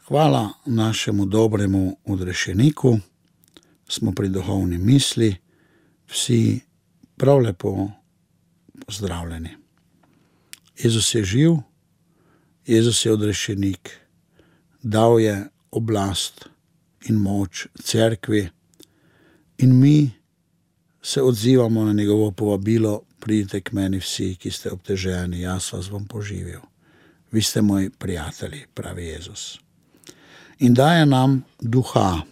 Hvala našemu dobremu odrešeniku, smo pri duhovni misli, vsi prav lepo pozdravljeni. Jezus je živ, Jezus je odrešenik, dal je oblast in moč cerkvi in mi se odzivamo na njegovo povabilo: pridite k meni vsi, ki ste obteženi, jaz vas bom poživil. Vi ste moji prijatelji, pravi Jezus. In daje nam duha.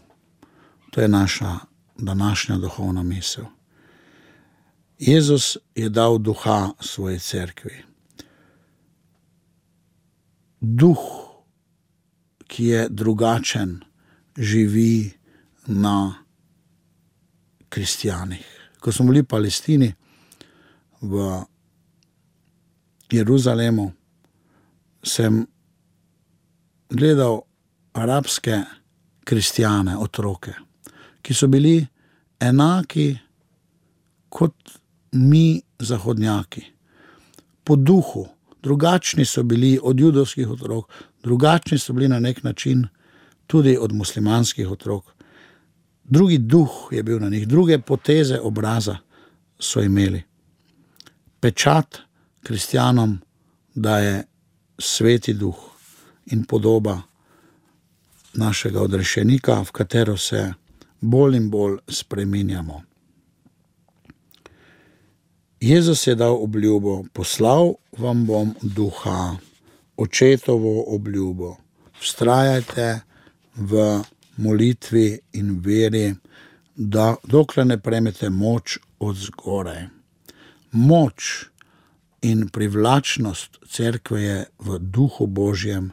To je naša današnja duhovna misel. Jezus je dal duha svoji cerkvi. Duh, ki je drugačen, živi na kristjanih. Ko smo bili v Palestini, v Jeruzalemu, sem gledal arabske kristjane, otroke, ki so bili enaki kot mi zahodnjaki. Po duhu, drugačni so bili od judovskih otrok, drugačni so bili na nek način tudi od muslimanskih otrok. Drugi duh je bil na njih, druge poteze obraza so imeli. Pečat kristjanom daje sveti duh in podoba našega odrešenika, v katero se bolj in bolj spreminjamo. Jezus je dal obljubo: poslal vam bom duha, očetovo obljubo. Vztrajajte v molitvi in veri, da dokler ne prejmete moč od zgoraj. Moč in privlačnost cerkve je v duhu Božjem,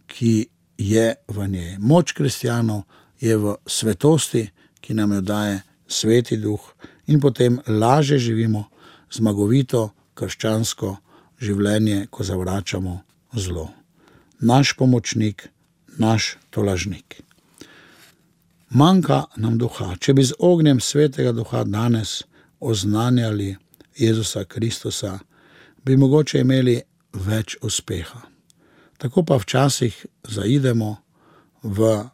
ki je v njej. Moč kristjanov je v svetosti, ki nam jo daje sveti duh, in potem lažje živimo zmagovito krščansko življenje, ko zavračamo zlo. Naš pomočnik, naš tolažnik. Manjka nam duha. Če bi z ognjem svetega duha danes oznanjali Jezusa Kristusa, bi mogoče imeli več uspeha. Tako pa včasih zaidemo v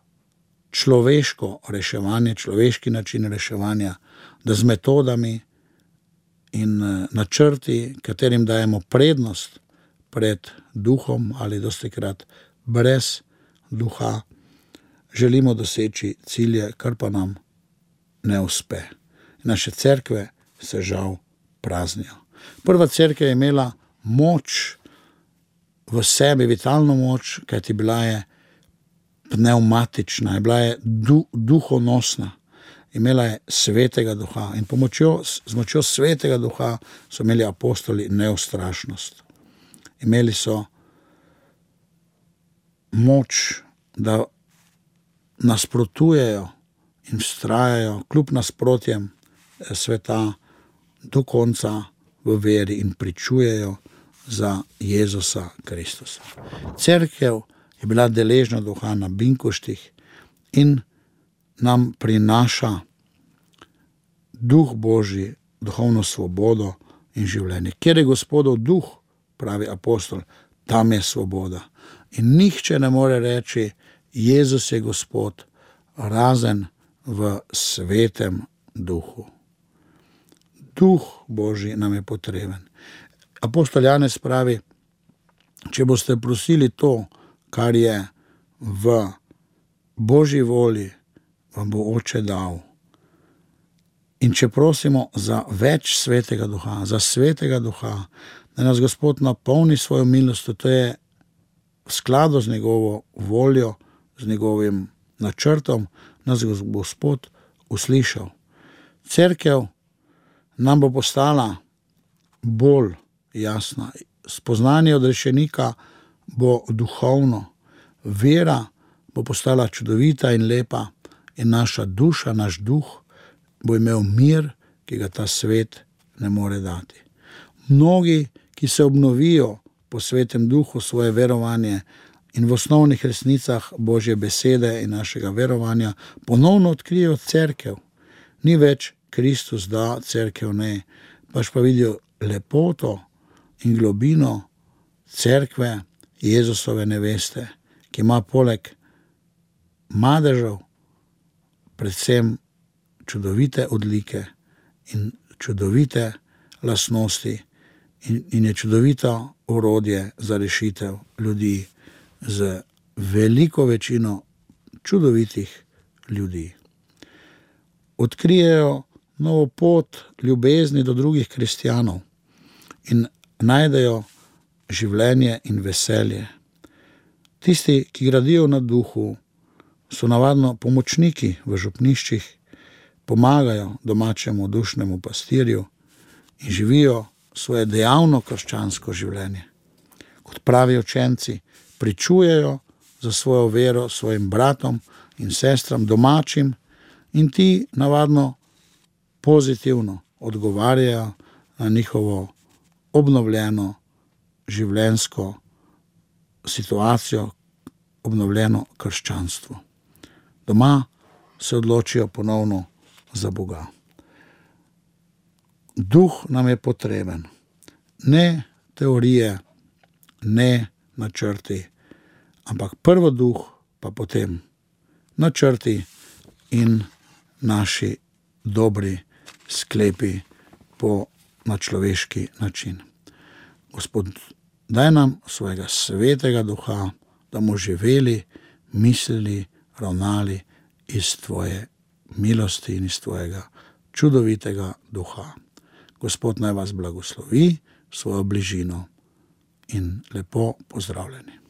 človeško reševanje, človeški način reševanja, da z metodami in načrti, katerim dajemo prednost pred duhom ali dostikrat brez duha, želimo doseči cilje, kar pa nam ne uspe. Naše cerkve se žal praznijo. Prva cerkev je imela moč v sebi, vitalno moč, kajti bila je pnevmatična, bila je duhonosna, imela je svetega duha in z močjo svetega duha so imeli apostoli neustrašnost. Imeli so moč, da nasprotujejo in vztrajajo kljub nasprotjem sveta do konca v veri in pričujejo za Jezusa Kristusa. Cerkev je bila deležna duha na binkoštih in nam prinaša duh Božji, duhovno svobodo in življenje. Kjer je Gospodov duh, pravi apostol, tam je svoboda. In nihče ne more reči: Jezus je Gospod, razen v svetem duhu. Duh Božji nam je potreben. Apostol Janez pravi: če boste prosili to, kar je v Božji volji, vam bo Oče dal. In če prosimo za več svetega duha, za svetega duha, da nas Gospod napolni svojo milostjo, to je v skladu z njegovo voljo, z njegovim načrtom, nas Gospod uslišal. Cerkev nam bo postala bolj jasna. Spoznanje odrešenika bo duhovno, vera bo postala čudovita in lepa in naša duša, naš duh bo imel mir, ki ga ta svet ne more dati. Mnogi, ki se obnovijo po svetem duhu svoje verovanje in v osnovnih resnicah Božje besede in našega verovanja, ponovno odkrijejo cerkev. Ni več Kristus da, cerkev ne, pač pa vidijo lepoto in globino cerkve Jezusove neveste, ki ima poleg madežev, predvsem čudovite odlike in čudovite lastnosti in je čudovito orodje za rešitev ljudi z veliko večino čudovitih ljudi. Odkrijejo novo pot ljubezni do drugih kristjanov in najdejo življenje in veselje. Tisti, ki gradijo na duhu, so navadno pomočniki v župniščih, pomagajo domačemu dušnemu pastirju in živijo svoje dejavno krščansko življenje. Kot pravi učenci, pričujejo za svojo vero svojim bratom in sestram domačim in ti navadno pozitivno odgovarjajo na njihovo obnovljeno življenjsko situacijo, obnovljeno krščanstvo. Doma se odločijo ponovno za Boga. Duh nam je potreben. Ne teorije, ne načrti, ampak prvo duh, pa potem načrti in naši dobri sklepi na človeški način. Gospod, daj nam svojega svetega duha, da bomo živeli, mislili, ravnali iz tvoje milosti in iz tvojega čudovitega duha. Gospod naj vas blagoslovi svojo bližino in lepo pozdravljeni.